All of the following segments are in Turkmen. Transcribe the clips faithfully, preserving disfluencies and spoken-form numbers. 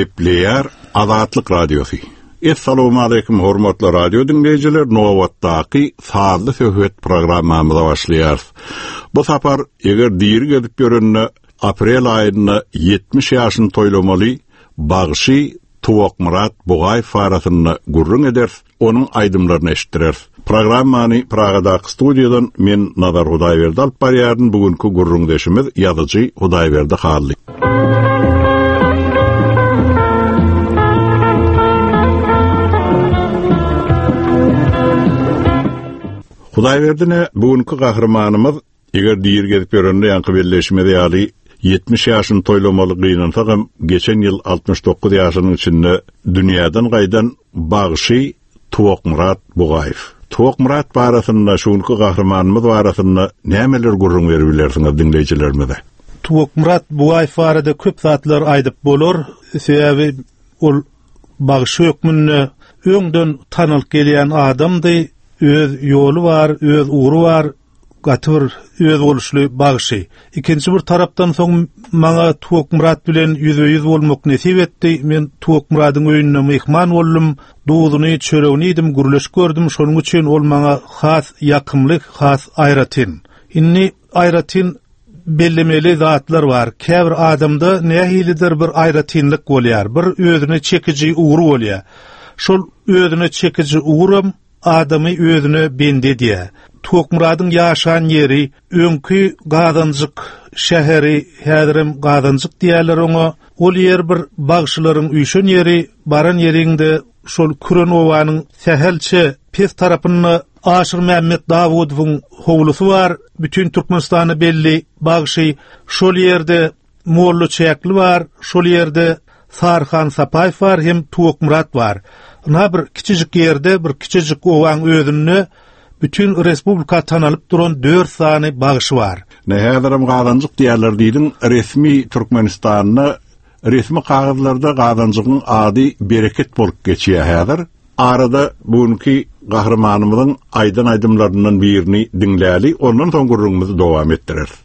Gepleýär Azatlyk Radiosy. Essalamu aleýkum hormatly radio diňleýjiler, nobatdaky sazly söhbet programmamyza başlaýarys. Bu sapar eger diri gezip ýörende aprel aýynda ýetmiş ýaşyny toýlamaly bagşy Tuwakmyrat Bugaýew arasynda gürrüň ederis, onuň aýdymlaryny eşitdireris. Programmany Pragadaky studiýadan men Nazar Hudaýberdi alyp barýaryn. Bugünkü gürrüňdeşimiz ýazyjy Hudaýberdi Hally. Hudaýberdine bugünkü gahrymanymyz eger diri gezip ýörende ýaňky belleşimiz ýaly ýetmiş ýaşyny toýlamaly gynansagam geçen ýyl altmyş dokuz ýaşynyň içinde dünýäden gaýdan bagşy Tuwakmyrat Bugaýew. Tuwakmyrat barasynda, şuňky gahrymanymyz barasynda nämeler gürrüň berip bilersiňiz diňleýjilerimize? Tuwakmyrat Bugaýew barada köp zatlar aýdyp bolar. Sebäbi ol bagşy hökmünde öňden tanylyp gelýän adamdy. Öz ýoly bar, öz ugry bar, gaty bir özboluşly bagşy. Ikinji bir tarapdan soň maňa Tuwakmyrat bilen ýüzbe-ýüz bolmak nesip etdi. Men Tuwakmyradyň öýünde myhman boldum. Duzuny, çöregini yedim, gürleş gördüm. Şonuň üçin ol maňa has ýakymly, has aýratyn. Indi aýratyn bellemeli zatlar bar. Käbir adamda nähilidir bir aýratynlyk bolýar. Bir özüne çekiji ugry bolýar. Şol özüne çekiji uguram adamy özüne bendi edýär. Tuwakmyradyň ýaşan ýeri öňki Gazanjyk şäheri, häzirem Gazanjyk diýerler oňa. Ol ýer bir bagşylaryň üýşen ýeri, baran ýerinde şol Küren obanyň sähelçe pes tarapynda Aşyr Mämmet Dawudowyň howlusy bar. Bütün Türkmenistana belli bagşy. Şol ýerde Molla Çäkli bar, şol ýerde Sarhan Sapaýew bar, hem Tuwakmyrat bar. Na bir kiçijik ýerde, bir kiçijik owaň özünde bütün respublika tanalyp duran dört sany bagşy bar. Ne häzirem Gazanjyk diýerler diýdiň, resmi Türkmenistanda resmi kagyzlarda Gazanjygyň ady bereket bolup geçýär häzir. Arada bugünkü gahrymanymyzyň aýdan aýdymlaryndan birini diňläli, ondan soň gürrüňimizi dowam etdireris.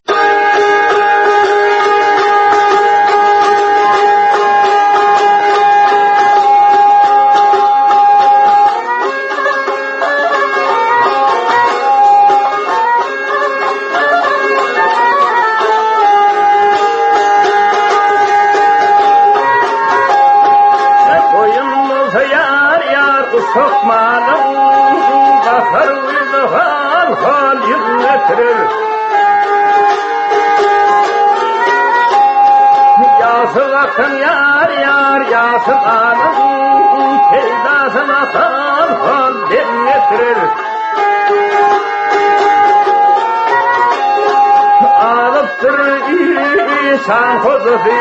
Şan hozzy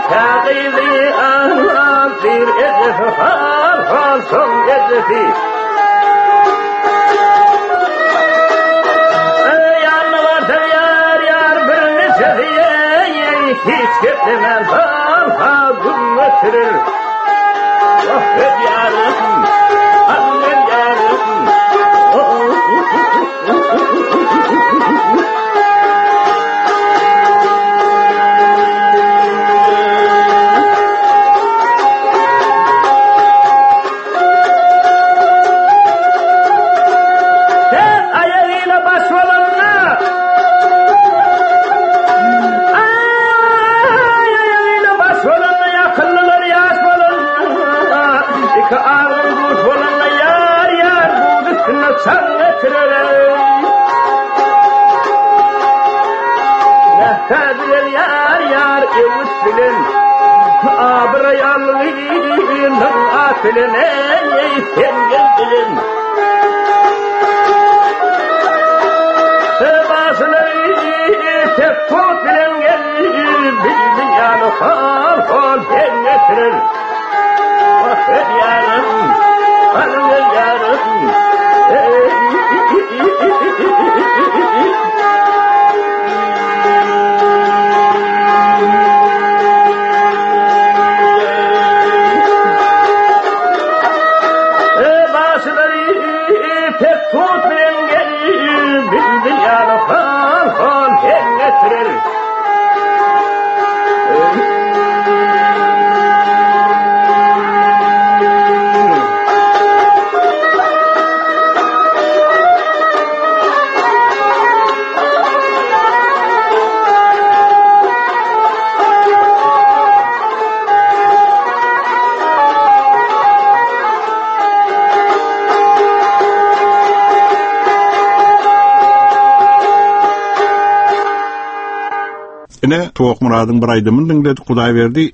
kâgızy an bir edesi hal hal son edesi. Ey anlar yar yar bir neşesi hiç geplemem hal hal gün götürür. Oh yarım, annem yarım. Ine Tuwakmyradyň bir aýdymyny diňledik, Hudaýberdi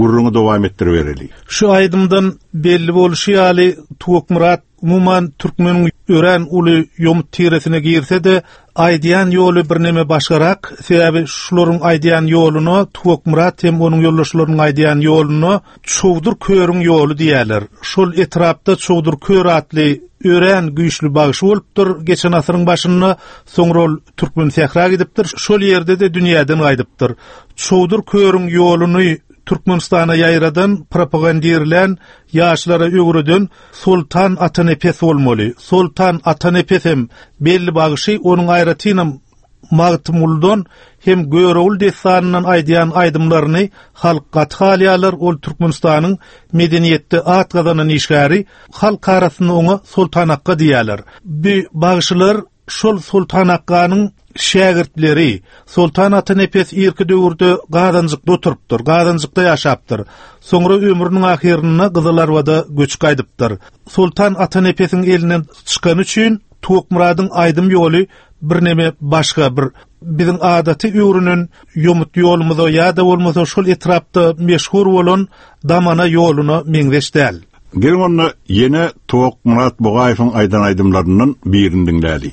gürrüňi dowam etdiribereli. Şu aýdymdan belli bolşy ýaly Tuwakmyrat umuman türkmeniň örän uly ýomut tiresine girse-de aýdýan ýoly birneme başgarak, sebäbi şularyň aýdýan ýoluna Tuwakmyrat hem onuň ýoldaşlarynyň aýdýan ýoluna Çowdur Körüň ýoly diýerler. Şol etrapda Çowdur Kör atly örän güýçli bagşy bolupdyr. Geçen asyryň başynda soňra ol Türkmen sähra gidipdir. Şol ýerde-de dünýäden gaýdypdyr. Çowdur Körüň ýoluny Türkmenistana ýaýradan, propagandirlän, ýaşlara öwreden Soltan Atanepes bolmaly. Soltan Atanepes hem belli bagşy, onuň aýratynam Magtymgulydan hem Görogul dessanyndan aýdýan aýdymlaryny halk gaty halýarlar. Ol Türkmenistanyň medeniýetde at gazanan işgäri, halk arasynda oňa Soltan Akka diýerler. Bu bagşylar şol Soltan Akkanyň şägirtleri. Soltan Atanepes irki döwürde Gazanjykda oturypdyr, Gazanjykda ýaşapdyr. Soňra ömrüniň ahyrynda Gyzylarbada göçüp gaýdypdyr. Soltan Atanepesiň elinden çykany üçin Tuwakmyradyň aýdym ýoly birneme başga bir biziň adaty öwrenen ýomut ýolumyza ýa-da bolmasa şol etrapda meşhur bolan damana ýoluna meňzeş däl. Geliň onda ýene Tuwakmyrat Bogaýewiň aýdan aýdymlaryndan birini diňläli.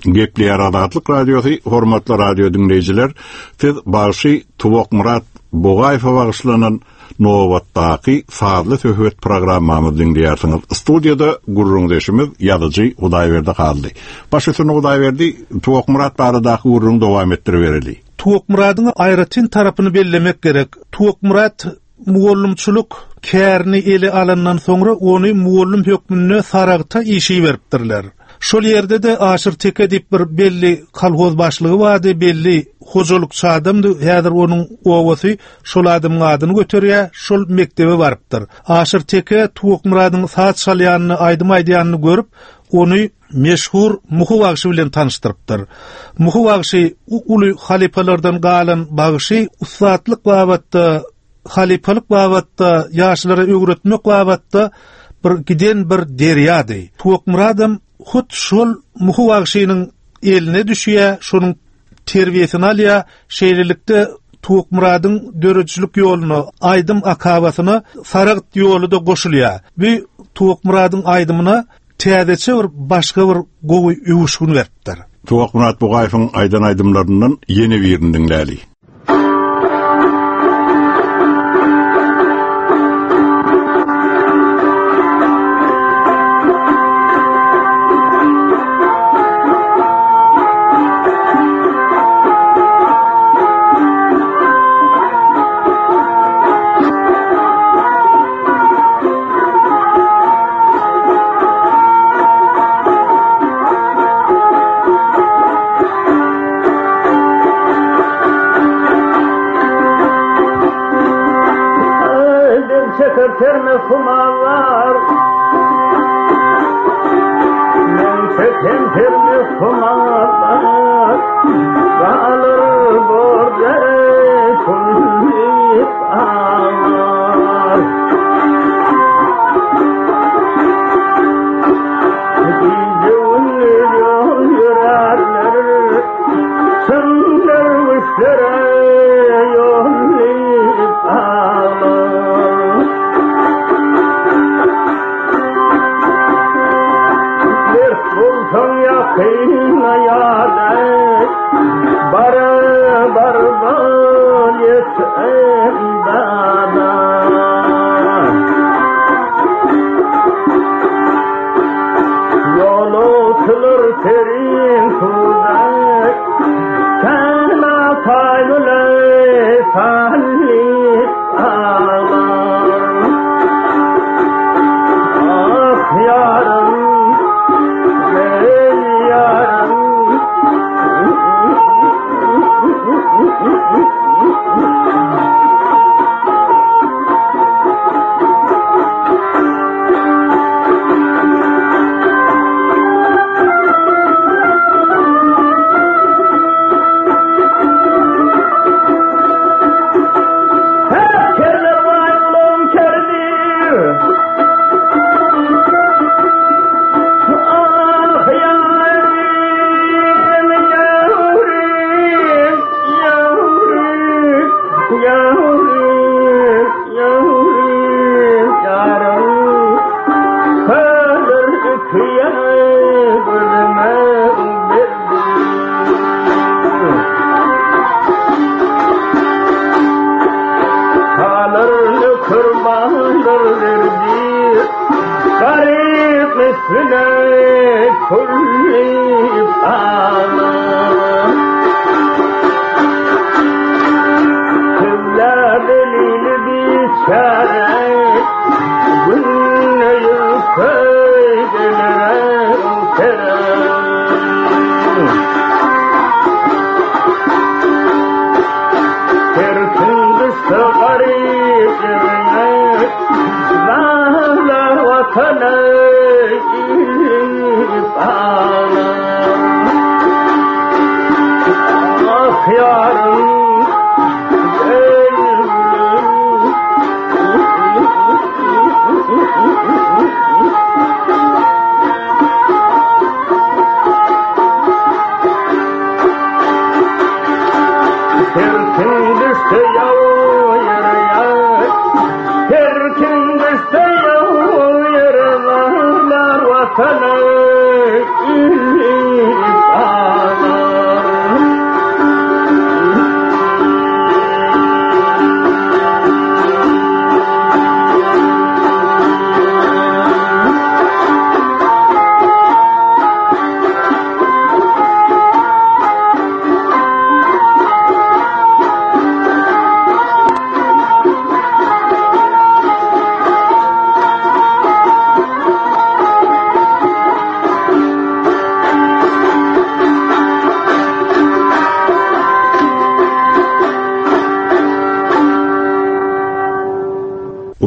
Gepleýär Azatlyk Radiosy, hormatly radio diňleýjiler, siz bagşy Tuwakmyrat Bugaýewe bagyşlanan nobatdaky sazly söhbet programmamyzy diňleýärsiňiz. Studiýada gürrüňdeşimiz ýazyjy Hudaýberdi Hally. Baş üstüne Hudaýberdi, Tuwakmyrat baradaky gürrüňi dowam etdiribereli. Tuwakmyradyň aýratyn tarapyny bellemek gerek. Tuwakmyrat mugallymçylyk kärini ele alandan soňra ony mugallym hökmünde Saragta işi beripdirler. Şol ýerde de Aşyr Teke diýip bir belli kolhoz başlygy bardy, belli hojalykçy adamdy. Häzir onuň owasy şol adamyň adyny göterýär, şol mekdebe barypdyr. Aşyr Teke Tuwakmyradyň saz çalýanyny, aýdym aýdýanyny görüp, ony meşhur Muhy bagşy bilen tanyşdyrypdyr. Muhy bagşy uly halypalardan galan bagşy, ussatlyk babatda, halypalyk babatda, ýaşlara öwretmek babatda bir giden bir derýady. Tuwakmyradam hut şol Muhy bagşynyň eline düşýär, şonuň terbiýesini alýar. Şeýlelikde Tuwakmyradyň döredijilik ýoluna, aýdym akabasyna Saragt ýoly da goşulýar. Bu Tuwakmyradyň aýdymyna täzeçe bir başga bir gowy öwüşgin beripdir. Tuwakmyrat Bugaýewiň aýdan aýdymlaryndan ýene birini diňläli. Her kim düşse yav yere, her kim düşse yav yere, varlar vatana.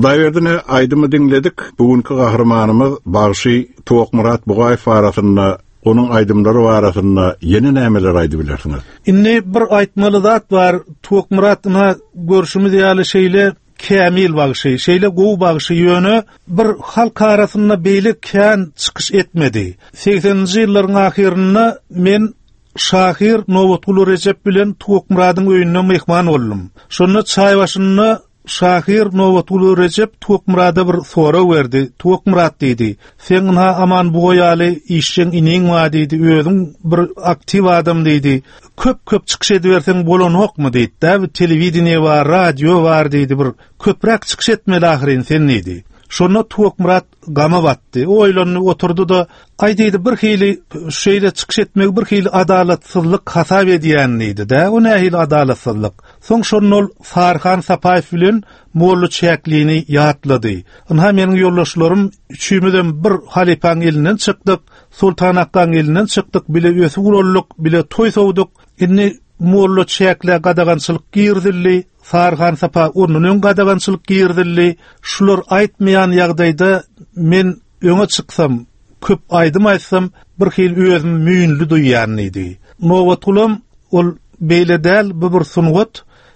Hudaýberdini aýdymy diňledik. Bugünkü gahrymanymyz bagşy Tuwakmyrat Bugaýew arasynda onuň aýdymlary barasynda ýene nämeler aýdyp bilersiňiz? Indi bir aýtmaly zat bar. Tuwakmyrat ina görşümiz ýaly şeýle kämil bagşy, şeýle gowy bagşy ýöne bir halk arasynda beýle kän çykyş etmedi. sekseninji ýyllaryň ahyrynda men şahyr Nobatguly Rejep bilen Tuwakmyradyň öýünde myhman boldum. Şonda çaý başynda şahyr Nobatguly Rejep Tuwakmyrada bir sorag berdi. Tuwakmyrat diýdi, "Sen ynha Aman Buga ýaly işjeň iniň bar" diýdi, "Özüň bir aktiw adam" diýdi. Köp-köp çykyş ediberseň bolanokmy diýdi. Da bir telewideniýe bar, radio bar diýdi. Bir köpräk çykyş etmeli ahyryn sen diýdi. Şonda Tuwakmyrat gama batdy. Oýlandy, oturdy da, ay diýdi, bir hili şeýle çykyş etmegi bir hili adalatsyzlyk hasap edýän diýdi. Da o nähili adalatsyzlyk? Soň şonda ol Saryhan Sapaýew bilen Molla Çäklini ýatlady. Ynha meniň ýoldaşlarym üçümizem bir halypaň elinden çykdyk, Sultan Akgaň elinden çykdyk, bile ösüp ulaldyk, bile toý sowduk. Indi Molla Çäklä gadagançylyk girizildi, Saryhan Sapa ondan öň gadagançylyk girizildi. Şular aýtmaýan ýagdaýda men öňe çyksam, köp aýdym aýtsam, bir hil özüm müýnli duýýan diýdi. Nobatgulam ol beýle däl, bu bir sungat.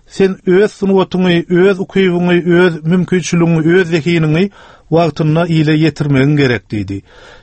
Sen öz sungatyňy, öz ukybyňy, öz mümkinçiligiňi, öz zehiniňi wagtynda ile ýetirmegiň gerek diýdi.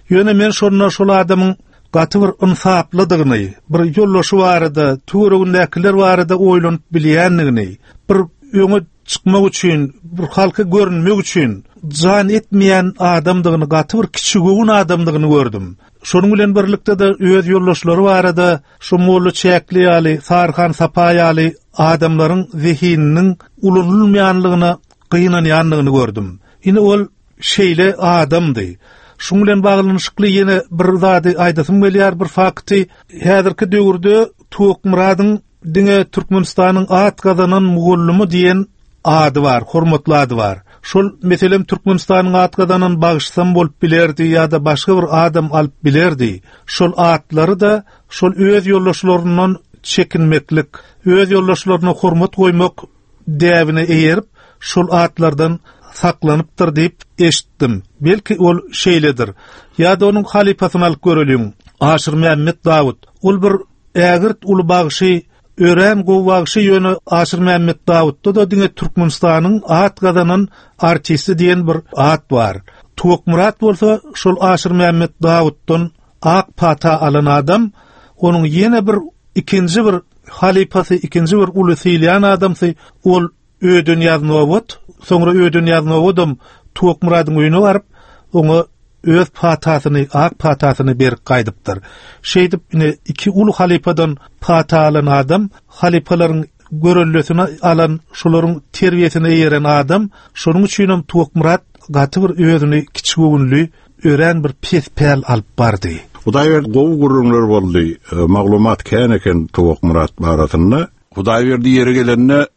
Ýöne men şonda şol adamyň gaty bir ynsaplydygyny, bir ýoldaşy barada, töweregindäkiler barada oýlanyp bilýändigini, bir öňe çykmak üçin, bir halka görünmek üçin jan etmeýän adamdygyny, gaty bir kiçigöwün adamdygyny gördüm. Şonuň bilen birlikde de öz ýoldaşlary barada şu Molla Çäkli ýaly, Saryhan Sapa ýaly adamlaryň zehininiň ulanylmaýanlygyna gynanýanlygyny gördüm. Ine ol şeýle adamdy. Şuň bilen baglanyşykly ýene bir zady aýdasym gelýär, bir fakty. Häzirki döwürde Tuwakmyradyň diňe Türkmenistanyň at gazanan mugallymy diýen ady bar, hormatly ady bar. Şol meselem Türkmenistanyň at gazanan bagşysam bolup bilerdi ýa-da başga bir adam alyp bilerdi. Şol atlary da şol öz ýoldaşlaryndan çekinmeklik, öz ýoldaşlaryna hormat goýmak däbine eýerip, şol atlardan saklanypdyr diýip eşitdim. Belki ol şeýledir. Ýa-da onuň halypasyny alyp göreliň. Aşyr Mämmet Dawut. Ol bir ägirt uly bagşy, örän gowy bagşy, ýöne Aşyr Mämmet Dawutda da diňe Türkmenistanyň at gazanan artisti diýen bir at bar. Tuwakmyrat bolsa şol Aşyr Mämmet Dawutdan ak pata alan adam, onuň ýene bir ikinji bir halypasy, ikinji bir uly sylaýan adamsy ol Öden Ýaznowat, soňra Öden Ýaznowadam Tuwakmyradyň öýüne baryp, oňa öz patasyny, ak patasyny berip gaýdypdyr. Şeýdip ine iki uly halypadan pata alan adam, halypalaryň görellesini alan, şolaryň terbiýesine eýeren adam, şonuň üçinem Tuwakmyrat gaty bir özüni kiçigöwünli, örän bir pes päl alyp bardy. Hudaýberdi gowy gürrüňler boldy. E, maglumat kän eken Tuwakmyrat barasynda. Hudaýberdi ýeri gelende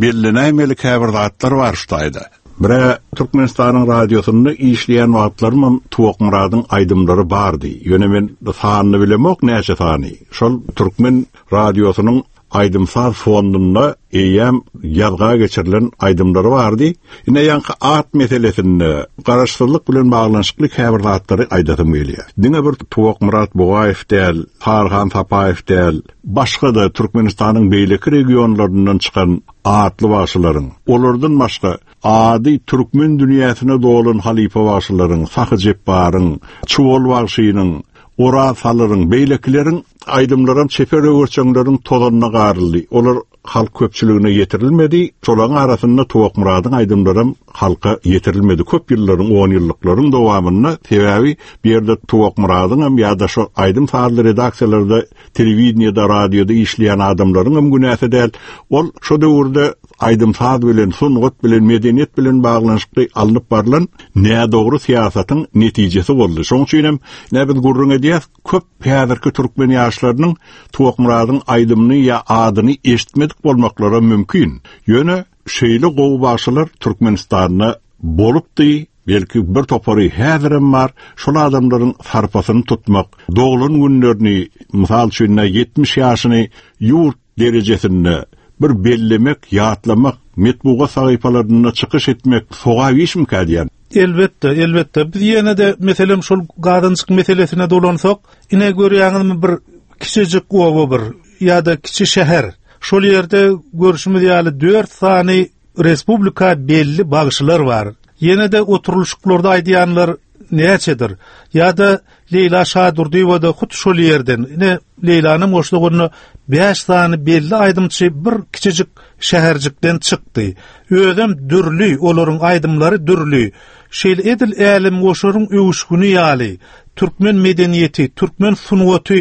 bellenäýmeli käbir zatlar bar şu taýda. Bire Türkmenistanyň radiosynda işleýän wagtlarym Tuwakmyradyň aýdymlary bardy. Ýöne men sanyny bilemok näçe sany. Şol Türkmen radiosynyň aýdym-saz fondunda eýýäm ýazga geçirilen aýdymlary bardy. Ine ýaňky at meselesinde garaşsyzlyk bilen baglanyşykly käbir zatlary aýdasym gelýär. Diňe bir Tuwakmyrat Bugaýew däl, Saryhan Sapaýew däl, başga da Türkmenistanyň beýleki regionlaryndan çykan atly bagşylaryň, olardan başga ady türkmen dünýäsine dolan halypa bagşylaryň, Sahy Jepbaryň, Çuwal bagşynyň, Oraz Salyryň, beýlekileriň aýdymlaram çeper öwürçeňleriň tozanyna garyldy. Olar halk köpçüligine ýetirilmedi. Şolaryň arasynda Tuwakmyradyň aýdymlaram halka ýetirilmedi. Köp ýyllaryň, on ýyllyklaryň dowamynda, sebäbi bir ýerde Tuwakmyradyň hem ýa-da şo aýdym sazly redaksiýalarda, telewideniýede, radioda işleýän adamlaryň hem günäsi däl. Ol şo döwürde aýdym saz bilen, sungat bilen, medeniýet bilen baglanyşykly alnyp barlan nädogry syýasatyň netijesi boldy. Şonuň üçin hem näme biz gürrüň edýäs, köp häzirki türkmen ýaşlarynyň Tuwakmyradyň aýdymyny ýa adyny eşitmedik bolmaklary mümkin. Ýöne şeýle gowy bagşylar Türkmenistanda bolupdy, belki bir topary häzirem bar. Şol adamlaryň sarpasyny tutmak, doglan günlerini, mysal üçin ýetmiş ýaşyny ýurt derejesinde bir bellemek, ýatlamak, metbugat sahypalarynda çykyş etmek sogap işmika diýen. Elbetde, elbetde. Biz ýene de meselem şol gazançyk meselesine dolansak, ine görýäňizmi bir kiçijik oba bir ýa-da kiçi şäher. Şol ýerde görüşimiz ýaly dört sany respublika belli bagşylar bar. Ýene de oturylyşyklarda aýdýanlar näçedir? Ýa-da Leýla Şadurdyýewa da hut şol ýerden. Ine Leýlanyň goşlugyny beş sany belli aýdymçy bir kiçijik şäherjikden çykdy. Özem dürli, olaryň aýdymlary dürli. Şeýle edil älem goşaryň öwüşgüni ýaly türkmen medeniýeti, türkmen sungaty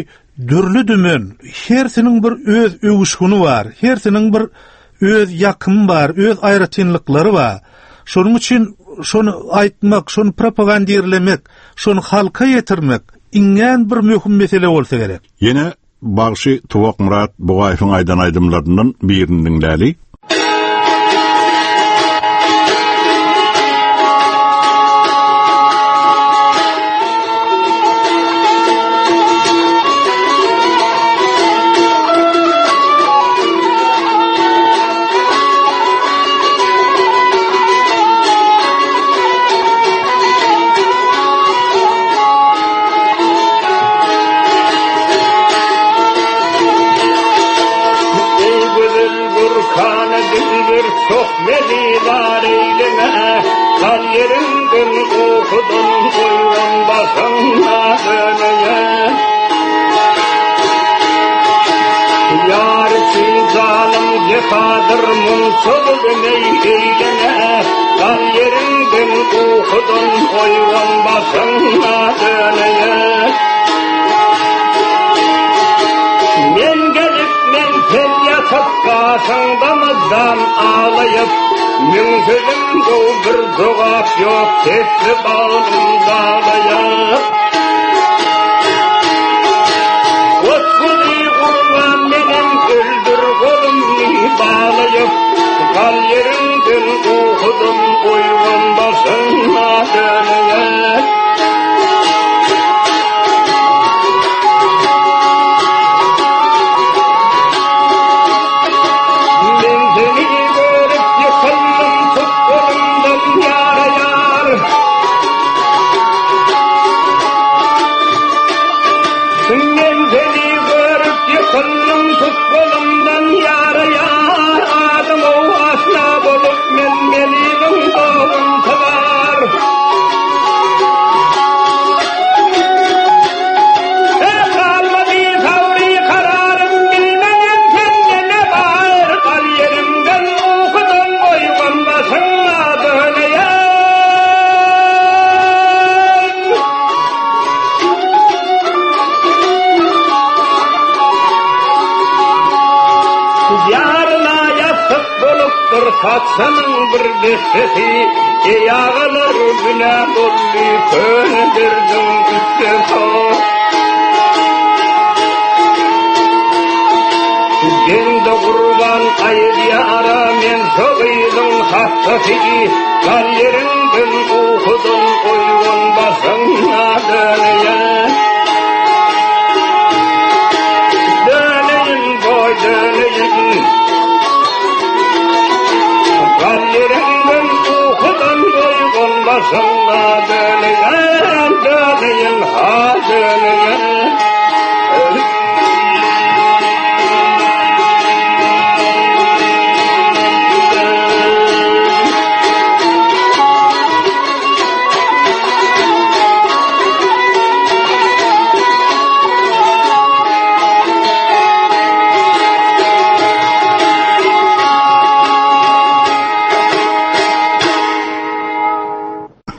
dürli dümen. Hersiniň bir öz öwüşgüni bar, hersiniň bir öz ýakymy bar, öz aýratynlyklary bar. Şonuň üçin şonu aýtmak, şonu propagandirlemek, şonu halka ýetirmek iňňän bir möhüm mesele bolsa gerek. Ýene bagşy Tuwakmyrat Bugaýewiň aýdan aýdymlaryndan birini diňläli.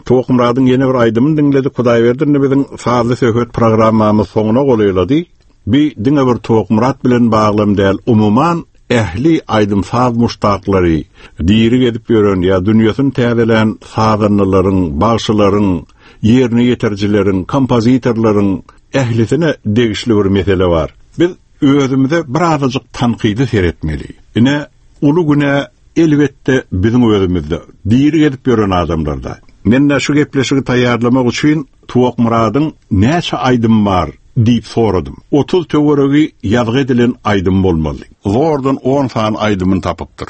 Tuwakmyradyň ýene bir aýdymyny diňledik. Hudaýberdi biziň sazly söhbet programmamyz soňuna golaýlady. Bi diňe bir Tuwakmyrat bilen baglam däl, umuman ähli aýdym saz muşdaklary, diri gezip ýören ýa dünýesini täzelän sazanlaryň, bagşylaryň, ýerine ýetirjileriň, kompozitorlaryň ählisine degişli bir mesele bar. Biz özümize birazajyk tankydy seretmeli. Ine uly güne elbetde biziň özümizde, diri gezip ýören adamlarda. Men de şu gepleşigi taýýarlamak üçin Tuwakmyradyň näçe aýdym bar, Diýip soradym. Otuz töweregi ýazgy edilen aýdym bolmaly. Zordan on sany aýdymyny tapypdyr.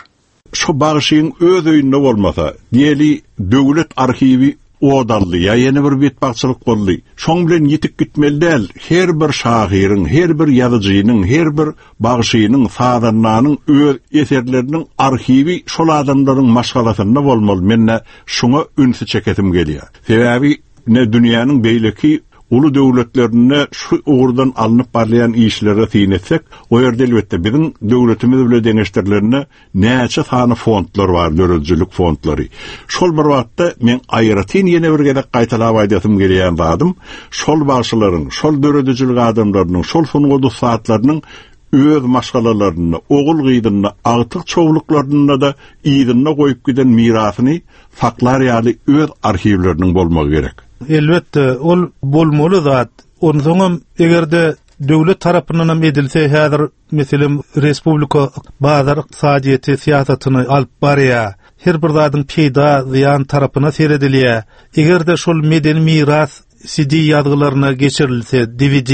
Şu bagşyň öz öýünde bolmasa, diýeli döwlet arhiwi odaldy, ýa ýene bir betbagtçylyk boldy. Şoň bilen ýetip gitmeli däl. Her bir şahyryň, her bir ýazyjynyň, her bir bagşynyň, sazandanyň öz eserleriniň arhiwi şol adamlaryň maşgalasynda bolmaly. Men şoňa ünsi çekesim gelýär. Sebäbi ne dünýäniň beýleki uly döwletlerinde şu ugurdan alnyp barýan işlere syn etsek, o ýerde elbetde biziň döwletimiz bilen deňeşdirilerinde näçe sany fondlar bar, döredijilik fondlary. Şol bir wagtda men aýratyn ýene bir gezek gaýtalap aýdasym gelýän zadym, şol bagşylaryň, şol döredijilik adamlarynyň, şol sungat ussatlarynyň öz maşgalalarynda, ogul gyzynda, agtyk çowluklarynda da ýygyna goýup giden mirasyny saklar ýaly öz arhiwleriniň bolmagy gerek. Elbetde, ol bolmaly zat. Onsoňam eger-de döwlet tarapyndan hem edilse, häzir meselem respublika bazar ykdysadyýeti syýasatyny alyp barýar. Her bir zadyň peýda zyýan tarapyna seredilýär. Eger-de şol medeni miras C D ýazgylaryna geçirilse, D V D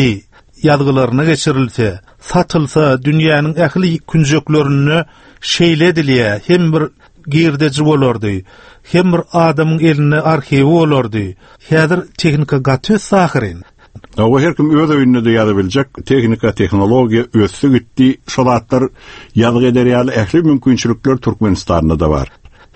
ýazgylaryna geçirilse, satylsa, dünýäniň ähli künjeklerinde şeýle edilýär. Hem bir girdeji bolardy, hem bir adamyň elinde arhiwi bolardy. Häzir tehnika gaty sahyrin. Awa her kim öz öýünde de ýaza biljek, tehnika, tehnologiýa ösdi gitdi. Şol zatlar ýazgy eder ýaly ähli mümkinçilikler Türkmenistanda da bar.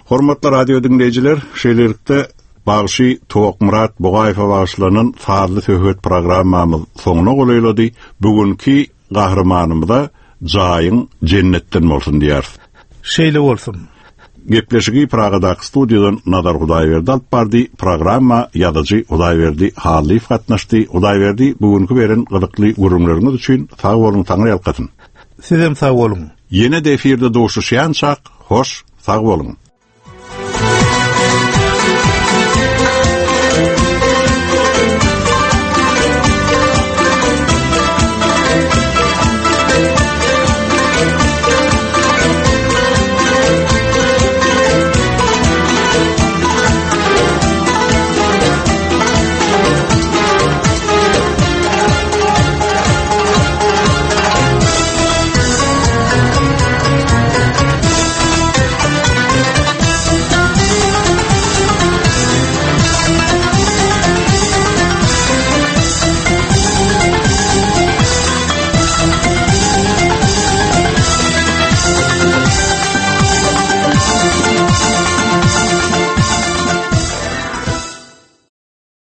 Hormatly radio diňleýjiler, şeýlelikde Bagşy Tokmyrat Bugaýewe bagyşlanan sazly söhbet programmamyz soňuna golaýlady. Bugünkü gahrymanymyza jaýyň jennetden bolsun diýýäris. Şeýle bolsun. Gepleşigi Pragadaky studiýadan Nazar Hudaýberdi alyp bardy. Programma ýazyjy Hudaýberdi Hallyýew gatnaşdy. Hudaýberdi, bugünkü beren gyzykly gürrüňleriňiz üçin sag boluň, taňry ýalkasyn. Sizem sag boluň. Ýene de efirde duşuşýançak, hoş, sag boluň.